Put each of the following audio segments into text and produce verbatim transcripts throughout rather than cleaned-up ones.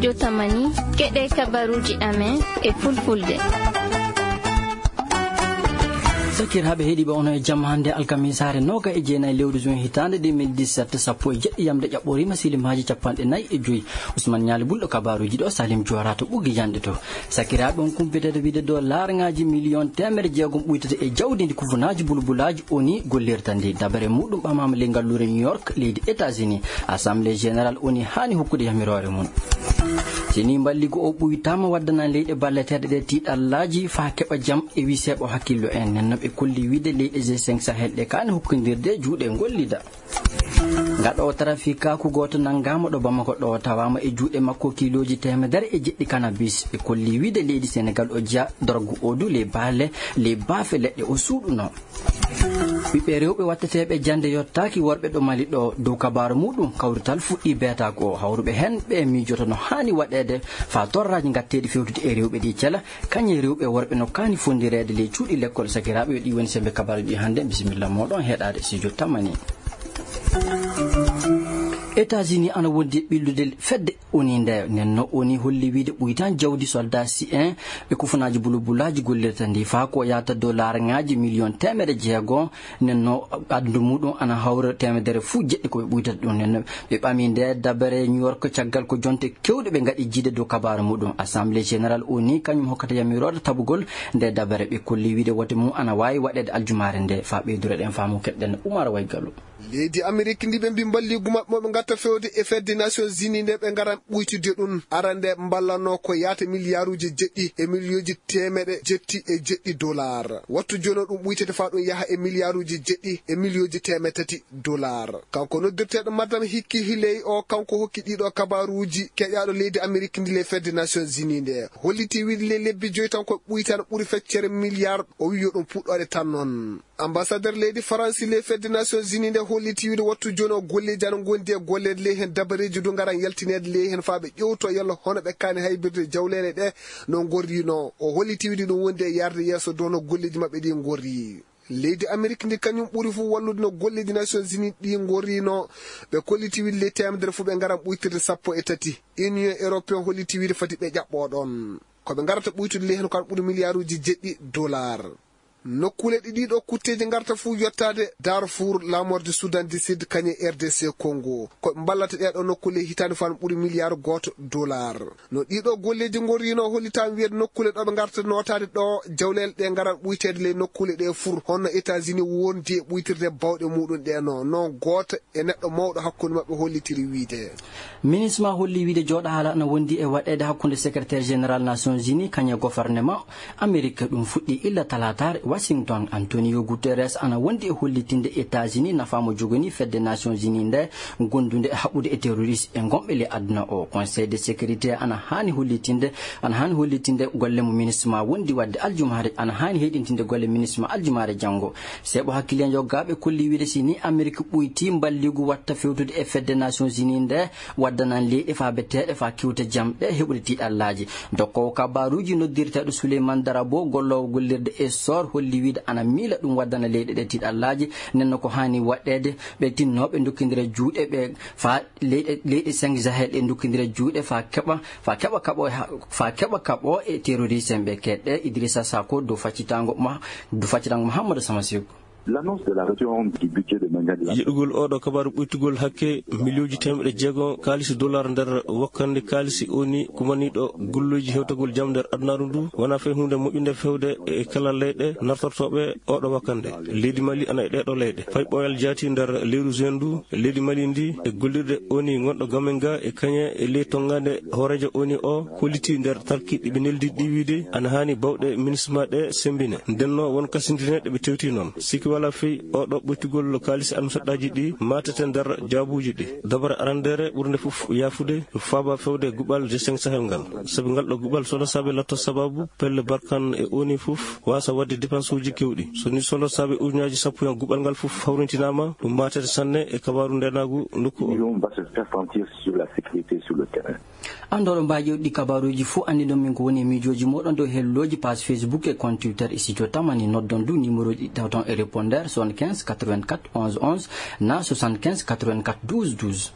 Yo tamani, keɗee kabaruuji amen e fulfulde. Sakiraaɓe heɗiiɓe, onon e jam hannde alkamisaare nooga e jeenayi lewru juin hitaande deux mille dix-sept, sappo e jeɗɗi yamde ƴaɓɓoriima, silimaaji capanɗe nayi e joy. Usman Ñaali Bulɗo kabaaruuji ɗo, Salim Joora to ɓuggi yanɗe to. Sakiraaɓe, on kumpiteeɗo wiide dow laarŋaaji miliyon teemedde jeegom ɓuytata e jawdi ndi kufunaaji bulbulaaji ONU gollirta ndi. Dabare muuɗum ɓamaama ley ngalluure New York, leydi États-Unis. Assemblée Générale ONU haani hokkude yamiroore mum. Si nii mballigu o ɓuytaama, waddana leyɗe balleteeɗe ɗe tiiɗallaaji faa keɓa jam e wii seeɓo hakkillo en. Nden no ɓe kolli wiide leyɗe G cinq Sahel ɗe kaani hokkondirde juuɗe ngollida. Gaɗoowo tarafikaaku gooto nanngaama ɗo Bamako ɗo, tawaama e juuɗe makko kiilooji teemedere e jeɗɗi kanabis. Ɓe kolli wiide leydi Senegal o jeyaa dorgu o du ley baale, ley baafe leɗɗe o suuɗunoo. Ɓiɓɓe rewɓe watteteeɓe jannde yottaaki worɓe ɗo Mali ɗo. Dow kabaaru muuɗum, kawrital fuɗɗii beetaaku o. Hawruɓe heen ɓe miijoto no haani waɗeede faa torraaji ngatteeɗi fewtude e rewɓe ɗi cela, kañe rewɓe e worɓe no kaani fonndireede ley cuuɗi lekkol. Sakiraaɓe, yo ɗii woni semmbe kabaaruuji ɗi hannde. Bisimilla mooɗon heɗaade studio Tamani. États-Unis ana wondi e ɓillude fedde ONU nde. Nden no ONU holli wiide ɓuytan jawdi soldaasi'en ɓe kufunaaji bulbulaaji gollirta ndi, faa ko yahata dow laarŋaaji miliyon teemedde jeego. Nden no adadu muuɗum ana hawra teemedere fuu jeɗɗi ko ɓe ɓuytata ɗum. Nden no ɓe ɓami nde dabare New York caggal ko jonte keewɗe ɓe ngaɗi jiide dow kabaaru muuɗum. Assemblée Générale ONU kañum hokkata yamiroore tabugol nde dabare. Ɓe kolli wiide wote mum ana waawi waɗeede aljumaare nde. Faa ɓeydureɗen faamu, keɗɗen Umar Waygalu. Leydi Amerik ndi ɓe mbii mballiigu maɓɓe mo ɓe ngatta fewde e fedde Nations Unies nde ɓe ngaran ɓuytidde ɗum, arande mballanoo ko yaata miliyaaruuji jeɗɗi e miliyooji teemeɗe jetti e jeɗɗi dolaar. Wattu jooni o ɗum ɓuytete faa ɗum yaha e miliyaaruuji jeɗɗi e miliyooji teemeɗe tati dolaar. Kanko noddirteeɗo Madam Hikki Hiley o, kanko hokki ɗiiɗoo kabaaruuji keƴaaɗo leydi Amerik ndi ley fedde Nations Unies nde. Hollitii wiide ley lebbi joy tan ko ɓuytan ɓuri feccere miliyaar, o wii yo ɗum puɗɗoore tan noon. Ambasader leydi Faransi ley fedde Nations Unies nde hollitii wiide wattu jooni o golleeji ana ngondi e golleede ley heen, dabareeji du ngaran yaltineede ley heen faa ɓe ƴeewtoo yalla hono ɓe kaani haybirde jawleele ɗe no ngorrinoo. O hollitii wiide ɗum wondi e yaarde yeeso dow no golleeji maɓɓe ɗi ngorri. Leydi Amerik ndi kañum ɓuri fuu wallude no golleeji Nations Unies ɗi ngorrinoo. Ɓe kollitii wiide ley teemedere fuu ɓe ngaran ɓuytirde sappo e tati. Union Européen hollitii wiide fati ɓe ƴaɓɓoo ɗoon. Ko ɓe ngarata ɓuytude ley heen ko ana ɓuri miliyaaruuji jeɗɗi dolaar. Nokkuule ɗe ɗiiɗoo kutteeji ngarta fuu yottaade, Darfour, Lamorde, Soudan du Sud, kañum e R D C Congo. Ko ɓe mballata ɗeeɗoo nokkuule hitaande fuu ana ɓuri miliyaaru gooto dolaar. No ɗiiɗoo golleeji ngorrinoo, hollitaama wiyeede nokkuule ɗo ɓe ngarta nootaade ɗo jawleele ɗe ngaran ɓuyteede ley nokkuule ɗe fuu, hono États-Unis wondi e ɓuytirde baawɗe muuɗum ɗe no, no gooto e neɗɗo mawɗo hakkunde maɓɓe hollitiri wiide. MINUSMA holli wiide jooɗahaala ana wondi e waɗeede hakkunde Secrétaire Général Nations Unies kañum e gofornema Amerik. Ɗum fuɗɗii illa talaataare Washington. Antonio Guterres ana wondi e hollitinde États-Unis nafaa mo joganii fedde Nations Unies nde, gondunde e haɓude e terroriste e gonɓe ley aduna o. Conseil de sécurité ana haani hollitinde, ana haani hollitinde golle mo MINUSMA wondi waɗde aljumaare, ana haani heyɗintinde golle MINUSMA aljumaare janngo. Seeɓo hakkiliyankooɓe kolli wiide si ni Amerik ɓuytii mballigu watta fewtude e fedde Nations Unies nde, waddanan leyɗe faabeteeɗe faa kewta jam ɗe heɓude tiiɗallaaji. Dokkoowo kabaaruuji noddirteeɗo Suleyman Darabo, golloowo gollirde Essor, holli wiide ana miila ɗum waddana leyɗe ɗe tiiɗallaaji. Nden no ko haani waɗeede, ɓe tinnooɓe ndokkindira juuɗe ɓe faa leyɗe, leyɗe cinq Sahel ɗe ndokkindira juuɗe faa keɓa, faa keɓa kaɓo, faa keɓa kaɓo e terroriste en ɓe keɗɗe. Idrissa Sako dow faccitango ma, dow faccitango Mouhamadou Sama Seku. L'annonce de la réduction du budget de Mandiang. Yiɗugol oɗo kabaaru ɓuytugol hakke miliyooji teemeɗe jeego kaalisi dollar nder wakkande kaalisi ONU kumaniiɗo golluuji hewtagol jam nder adunaaru ndu wonaa fay huunde moƴƴunde fewde e kala leyɗe nartortooɓe oɗo wakkande. Leydi Mali ana e ɗeeɗo leyɗe. Fay ɓooyal jaati nder leyru juin ndu, leydi Mali ndi e gollirde ONU gonɗo Gamenga e kañe e ley tonngaande hooreejo ONU o, hollitii nder tarki ɗi ɓe neldi ɗi wiide ana haani baawɗe MINUSMA ɗe semmbine. Ndennoo won kasindine ɗe ɓe tewti noon. Sikke walaa fey oɗo ɓoytugol kaalisi almusaɗɗaaji ɗi maatete nder jaabuuji ɗi. Dabare arandeere ɓurnde fof yaafude faaba fewde guɓal G cinq Sahel ngal. Sabi ngal ɗo guɓal solosaaɓe latto sababu pelle barkan e ONU fof waasa waɗde dépense uji kewɗi. So ni solosaaɓe ujunnaaji sappo en guɓal ngal fof hawrintinaama, ɗum maatete sanne e kabaaru ndeenaagu nokku o. Nous, on va se faire sentir sur la sécurité sur le terrain. Anndooɗo mbaaji ɗi kabaaruuji fof anndi ɗon min ko woni e miijooji mooɗon dow hellooji page Facebook e compte Twitter e studio Tamani. Noddon du numéro ji ɗi tawton e répondeur soixante-quinze quatre-vingt-quatre onze onze na soixante-quinze quatre-vingt-quatre douze douze.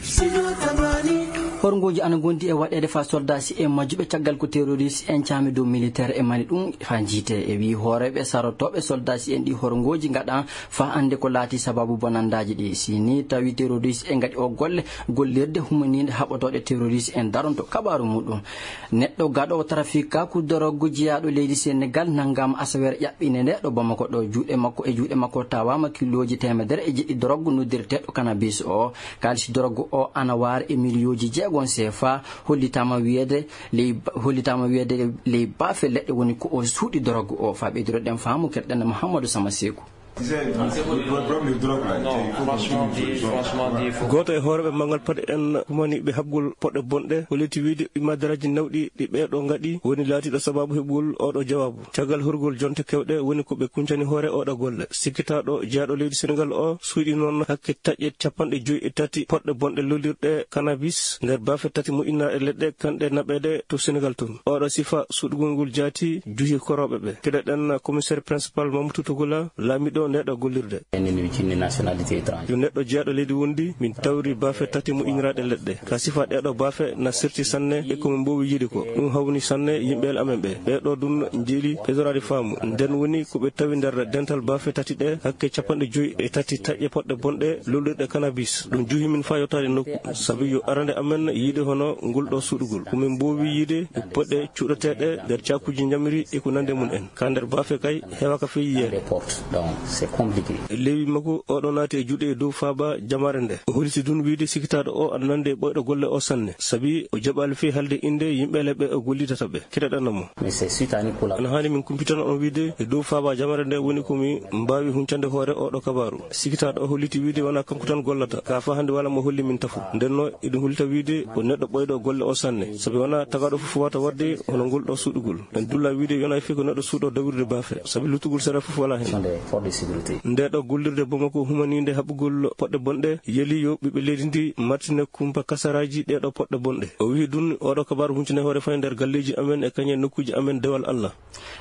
Studio Tamani. Horngooji ana ngondi e waɗeede faa soldaasi'en majjuɓe caggal ko terorist'en caami dow militeer e Mali ɗum faa njiytee. E wii hooreeɓe sarotooɓe soldaasi'en ɗii, horngooji ngaɗaa faa annde ko laatii sabaabu bonandaaji ɗii. Si nii tawii terorist'en ngaɗi oo golle, gollirde humaniinde haɓotooɗe terorist'en daronto. Kabaaru muuɗum. Neɗɗo gaɗoowo tarafikaaku dorog jeyaaɗo leydi Senegaal nanngaama asaweere ƴaɓɓiinde ndee ɗo Bamako ɗoo. Juuɗe makko e juuɗe makko tawaama kilooji teemedere e jeɗɗi dorog noddirteeɗo kanabis oo. Kaalisi dorog oo ana waara e miliyooji jeegom seefa. Hollitaama wiyeede ley, hollitaama wiyeede ley baafe leɗɗe woni ko o suuɗi dorog oo. Faa ɓeydiroɗen faamu, keɗoɗen Muhammadu Sama Seeku. Gooto e hooreeɓe manngal paɗe en humaniiɓe haɓgol poɗɗe bonɗe holliti wiide imaadaraaji nawɗi ɗi ɓee ɗoo ngaɗi woni laatiiɗo sabaabu heɓugol oo ɗoo jawaabu. Caggal horugol jonte keewɗe woni ko ɓe kuncani hoore oo ɗoo golle. Sikkitaaɗo jeyaaɗo leydi Senegaal oo suuɗii noon hakke taƴe capanɗe joy e tati poɗɗe bonɗe lollirɗe kanabis nder baafe tati moƴƴinaaɗe leɗɗe kanɗe naɓeede to Senegaal toon. Oo ɗoo sifa suuɗugol ngol jaati juhi korooɓe ɓee. Keɗoɗen komiseer pirinsipal Mamadou Togola, laamiiɗo ndee ɗoo gollirde. Yo neɗɗo jeyaaɗo leydi wondi, min tawri baafe tati moƴƴiniraaɗe leɗɗe. Ka sifa ɗee ɗoo baafe na serti sanne e ko min mboowi yiide ko. Ɗum hawni sanne yimɓe amen ɓee. Ɓee ɗoo ɗum njeeli ɓeydoraade faamu. Nden woni ko ɓe tawi nder dental baafe tati ɗee, hakke capanɗe joy e tati taƴe poɗɗe bonɗe lollirɗe kanabis. Ɗum juhi min faa yottaade nokku. Sabi yo arande amen yiide hono ngol ɗoo suuɗugol. Ko min mboowi yiide e poɗɗe cuuɗeteeɗe nder caakuuji njamiri e ko nanndi e mum en. Ka nder baafe kay heewaaka fii yiyeede. Lewi makko oo ɗoo naati e juuɗe e dow faaba jamaare ndee. O holliti ɗum wiide sikkitaaɗo oo ana nanndi e ɓooyɗo golle oo sanne. Sabi o jaɓaali fii haalde innde yimɓe leɓɓe o gollidata ɓee. Keɗoɗen mo. Ana haani min kumpitana on wiide e dow faaba jamaare ndee woni ko mi mbaawi huncande hoore oo ɗoo kabaaru. Sikkitaaɗo oo holliti wiide wanaa kanko tan gollata. Ka faa hannde walaa mo holli min tafo. Ndennoo eɗum hollita wiide ko neɗɗo ɓooyɗo golle oo sanne. Sabi wanaa tagaaɗo fof waawata waɗde hono ngol ɗoo suuɗugol. En dulla wiide yonaa fii ko neɗɗo suuɗoo dawirde baafe. Sabi luttugol sariya fof walaa hen. Ndee ɗoo gollirde Bamako humaniinde haɓugol poɗɗe bonɗe yeli yo ɓiɓɓe leydi ndii martine kumpa kasaraaji ɗee ɗoo poɗɗe bonɗe. O wiyi ɗum oo ɗoo kabaaru huncine hoore fay nder galleeji amen e kañe nokkuuji amen dewal Alla.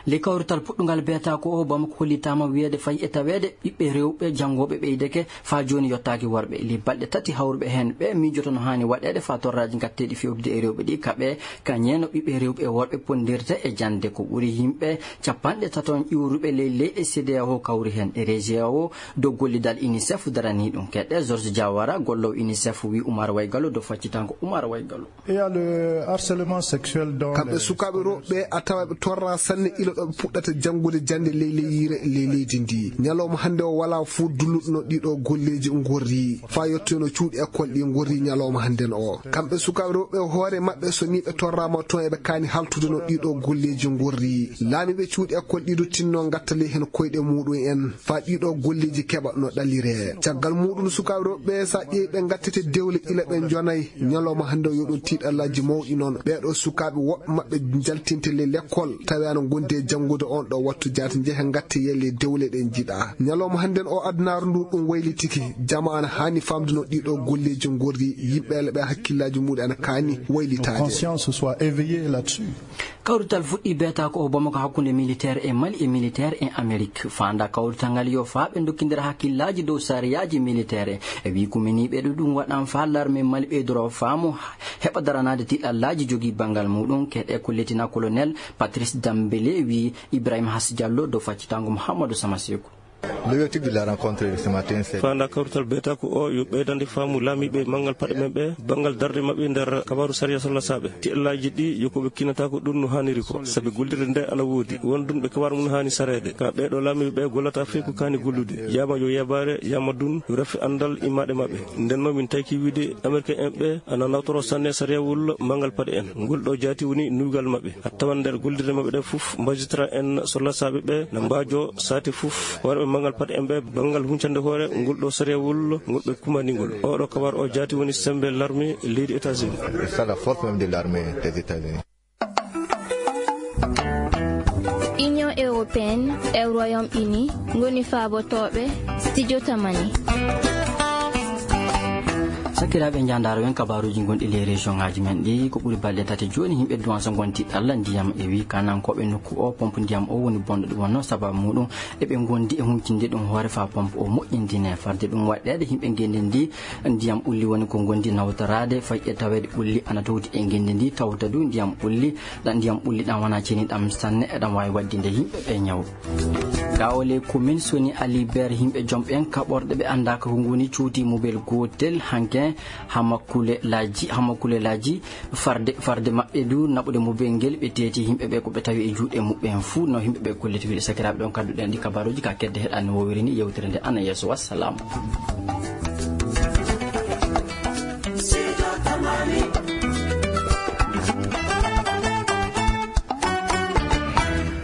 Ley kawrital puɗɗungal beetaako oo, Bamako hollitaama wiyeede fay e taweede ɓiɓɓe rewɓe janngooɓe ɓeydeke faa jooni yottaaki worɓe. Ley balɗe tati hawruɓe heen ɓee miijoto no haani waɗeede faa torraaji ngatteeɗi feewtude e rewɓe ɗii kaɓee, kañee no ɓiɓɓe rewɓe e worɓe ponndirta e jannde. Ko ɓuri yimɓe capanɗe tato iwruɓe ley leyɗe CEDEAO kawri heen. E REGEAO dow gollidal UNICEF daranii ɗum. Keɗe George Diawara, golloowo UNICEF, wii Umar Waygallo dow faccitaango Umar Waygallo. Il y a le harcèlement sexuel dans Kamɓe les sukaaɓe rewɓe ɓee a tawa ɓe torraa sanne ila ɗo ɓe puɗɗata janngude jannde ley ley yiire ley leydi ndii. Ñalawma hannde o walaa fuu dulluɗo no ɗii ɗoo golleeji ngorri faa yettoyno cuuɗi ekkol ɗii ngorri ñalawma hannden oo. Kamɓe sukaaɓe rewɓe ɓee hoore maɓɓe so nii ɓe torraama toon eɓe kaani haltude no ɗii ɗoo golleeji ngorri. Laamiiɓe cuuɗi ekkol ɗii du tinno ngatta ley heen koyɗe muuɗum en. Faa ɗii ɗoo golleeji keɓa no ɗaliree. Caggal muuɗum, sukaaɓe rewɓe ɓee, so a ƴeewi, ɓe ngattete dewle ila ɓe njonay. Ñalawma hannde o, yo ɗum tiiɗallaaji mawɗi non. Ɓee ɗoo sukaaɓe, woɓɓe maɓɓe njaltinte ley lekkol, tawi ana ngondi e janngude oon ɗoo wattu jaati. Njehe ngatte yelle dewle ɗe njiɗaa. Ñalawma hannden oo, adunaaru nduu ɗum waylitike. Jamaa ana haani faamde no ɗii ɗoo golleeji ngorri. Yimɓe ila ɓe hakkillaaji muuɗum ana kaani waylitaade. Conscience soit éveillée là-dessus. Kawrital fuɗɗii beetaako oo Bamako hakkunde militeer e Mali e militeer e Amerik. Faandaa kawrital ngal yo faa ɓe ndokkindira hakkillaaji dow sariyaaji militeer. E wii kuminiiɓe ɗo ɗum waɗan faa larme Mali ɓeydoroo faamu heɓa daranaade tiiɗallaaji jogii banngal muuɗum. Keɗe ko Leetinaa Kolonel Patrice Dambele wii Ibrahima Hassi Diallo dow faccitaango Muhammadu Sama Seeku. L'objectif de la rencontre de ce matin, c'est Faandaa kawrital beetaako oo yo ɓeydande faamu laamiiɓe manngal paɗe men ɓee, banngal darnde maɓɓe nder kabaaru sariya sallasaaɓe. Tiiɗallaaji ɗii yo ko ɓe kinataako ɗum no haaniri ko, sabi gollirde ndee ana woodi. Won ɗum ɓe kabaaru mum haani sareede. Ka ɓee ɗoo laamiiɓe ɓee gollata fii ko kaani gollude. Yaama yo yabaare, yaama ɗum yo rafi anndal immaade maɓɓe. Ndennoo min tawki wiide Ameriken en ɓee ana nawtoroo sanne sariyawol manngal paɗe en. Ngol ɗoo jaati woni nuuygal maɓɓe. A tawan nder gollirde maɓɓe ɗee fof, magistrat en sollasaaɓe ɓee na mbaajoo saati fof, worɓe manngal paɗe en ɓee banngal huncande hoore ngol ɗoo sariyawol ngol ɓe kumani ngol. Oo ɗoo kabar oo jaati woni semmbe larme leydi États-Unis. C'est ça la force même de l'armée des États-Unis. Union européenne e Royaume-Uni ngoni faabotooɓe Studio Tamani. Sakiraaɓe, njaandaaro wen kabaaruuji gonɗi ley région ŋaaji men ɗi. Ko ɓuri balɗe tati jooni, yimɓe Duwanso ngonti ɗalla ndiyam. E wii kaanankooɓe nokku o, pompe ndiyam o woni bonɗo. Ɗum wonnoo sababu muuɗum eɓe ngondi e huncinde ɗum hoore faa pompe o moƴƴindine. Farde ɗum waɗɗeede, yimɓe ngenndi ndi, ndiyam ɓulli woni ko ngondi nawtoraade, fay e taweede ɓulli ana towti e ngenndi ndi, tawta du ndiyam ɓulli. Ɗan ndiyam ɓulli ɗan wanaa ceniɗam sanne, eɗam waawi waɗdinde yimɓe ɓe ñaw. Gaa o ley commune Soni Ali Ber, yimɓe jom ɓen kaɓorɗe ɓe anndaaka ko ngoni cuuti mobel gootel hanke hamakulelaaji, hamakulelaaji farde, farde maɓɓe du naɓude mobel ngel, ɓe teeti yimɓe ɓe ko ɓe tawi e juuɗe muɓɓen fuu. No yimɓe ɓe kolliti wiide, sakiraaɓe, ɗon kadduɗen ɗi kabaaruuji ka kedde heɗaani wowiri ni yewtere nde ana yeeso. Wassalaamu.